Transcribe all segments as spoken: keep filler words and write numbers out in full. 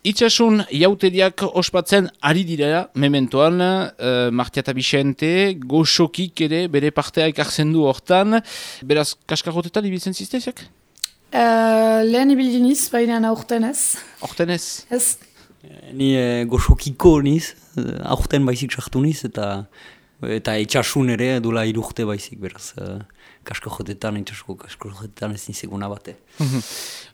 Itxasun jauteriak ospatzen ari dira mementoan, uh, Martia eta Bixente, goxokik ere bere partea ekartzen du hortan. Beraz, kaskarrotetan ibiltzen zizteziak? Uh, lehen ibildiniz, baina aurten ez. Aurten ez? Ez. Ni e, goxokiko niz, aurten baizik sartu niz, eta eta itxasun ere dula irurte baizik, beraz. Uh, kaskarrotetan, itxasuko kaskarrotetan ez nizeguna bate.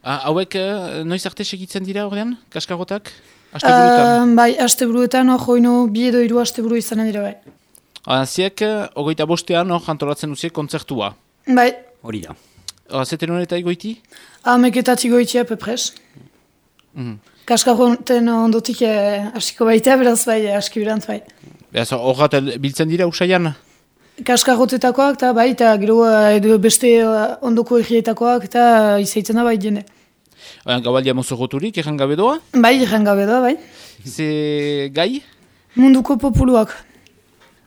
Ah, hauek, uh, noiz arte segitzen dira horrean, kaskarrotak? Asteburuetan? Uh, bai, asteburuetan hor joino bi edo hiru asteburu izanen dira bai. Ziek, hogeita bostean hor jantolatzen duziek kontzertua. Bai. Hori da. Zeten hori eta egoiti? Hameketatik goitia pepres. Mm. Kaskarroten ondotik eh, askiko baitea, beraz bai, aski birant bai. Beraz, horrat biltzen dira usaian? Kaskarrotetakoak eta bai, eta gero edo beste ondoko egietakoak eta izaitzen da bai jende. Gabaldia mozorroturik, erran gabe doa? Bai, erran gabe doa, bai. Ze gai? Munduko populuak.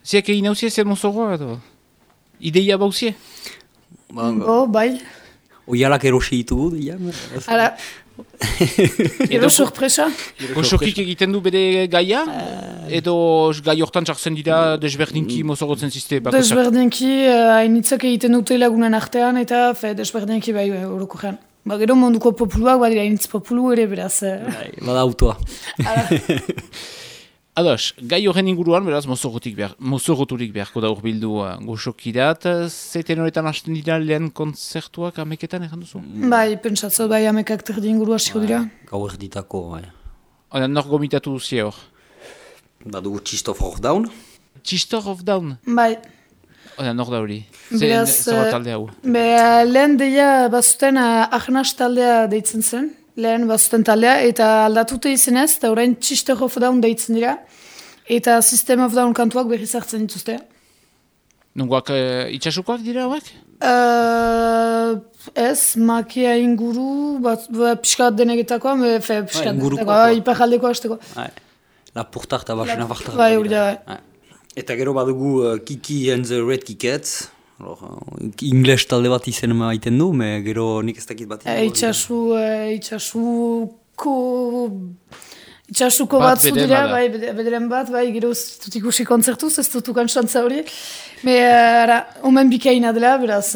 Ziak egin hauzie zer mozorroa edo? Ideia bauzie? Bo, bai. Oialak erosi ditugu, dira? Ara, edo sorpresa. Goxokik egiten du bere gaia? Edo gai hortan txartzen dira desberdinki mozorrotzen zizte? Desberdinki hainitzak egiten dute lagunen artean eta fe, desberdinki bai horoko gean. Ba, gero munduko populuak badira hainitz populu ere beraz. Bada autoa. Ados, gai horren inguruan, beraz, mozorroturik behar, mozorroturik beharko da urbildu uh, goxokirat. Zeten horretan hasten dira lehen konzertuak ameketan erran duzu? Bai, pentsatzo bai amekak terdi inguru hasiko dira. Gau erditako, bai. Oda, nor gomitatu duzie hor? Badugu Chistof of Down. Chistor of Down? Bai. Oda, nor da hori? Beraz, Zer talde hau? Be, lehen deia bazuten uh, ahnas taldea deitzen zen. Lehen bazuten taldea, eta aldatute izenez, eta orain Chister of Down deitzen dira, eta System of Down kantuak berriz hartzen dituzte. Nungoak uh, itxasukoak dira hauek? Uh, ez, makia inguru, bat, bat pixkat denegetakoa, me, fe, pixkat denegetakoa, iparjaldeko hasteko. Lapurtak eta basena bartak. Bai, hori da, bai. Eta gero badugu uh, Kiki and the Red Kikets. Ingles talde bat izen maiten du, me gero nik ez dakit bat. Itxasu, itxasuko... Itxasuko bat zudira, bai, bederen bat, bai, gero ez dut ikusi kontzertuz, ez dut ukan xantza hori. Me, ara, omen bikaina dela, beraz,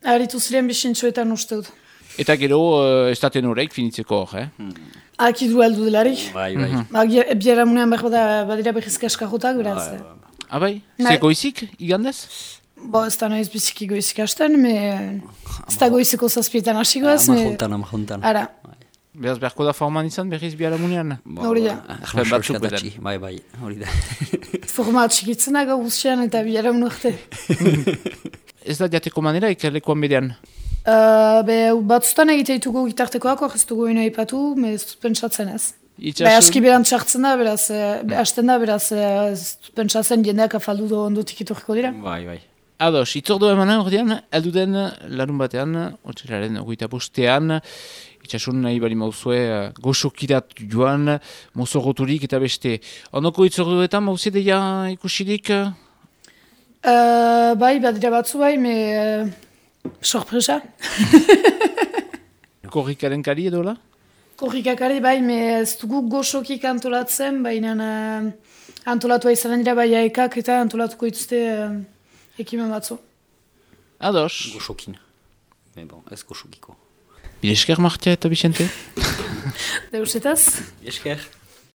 haritu ziren bisintxoetan uste dut. Eta gero, uh, ez daten horreik finitzeko hor, eh? Hmm. Akidu heldu delarik. Bai, bai. Mm-hmm. Biara munean behar badira behizka eskajotak, beraz. Ah, bai? Ze goizik, igandez? Bo, ez da noiz biziki goizik hasten, me... ez da goizeko zazpietan hasikoaz. Amajontan, amajontan. Ara. Beraz, beharko da forman izan, berriz biara munean? Hori da. Ahpen batzuk beden. Bai, bai, hori da. Forma atxikitzen da gauzian eta biara munarte. Ez da jateko manera, ikerlekoan bedean? Uh, be, batzutan egiteituko gitartekoak, hor ez dugu ino ipatu, me ez dut pentsatzen ez. Itxasun... Be, aski beran txartzen da, beraz, hasten da, beraz, ez dut pentsatzen jendeak afaldu do ondotik itoriko dira. Bai, bai. Ados, itzordu emanen ordean, elduden larun batean, otxeraren ogoita bostean, itxasun nahi bali mauzue, goxokirat joan, mozorroturik eta beste. Ondoko itzorduetan, mauze deia ikusirik? Uh, bai, badira batzu bai, me... Uh, sorpresa. Korrikaren kari edola? Korrikakari bai, me ez dugu goxokik antolatzen, baina uh, antolatua izanen dira bai aekak eta antolatuko ituzte uh, ekimen batzu. Ados. Goxokin. Me bon, ez goxokiko. Bilesker Martia eta Bixente? Deusetaz? Bilesker.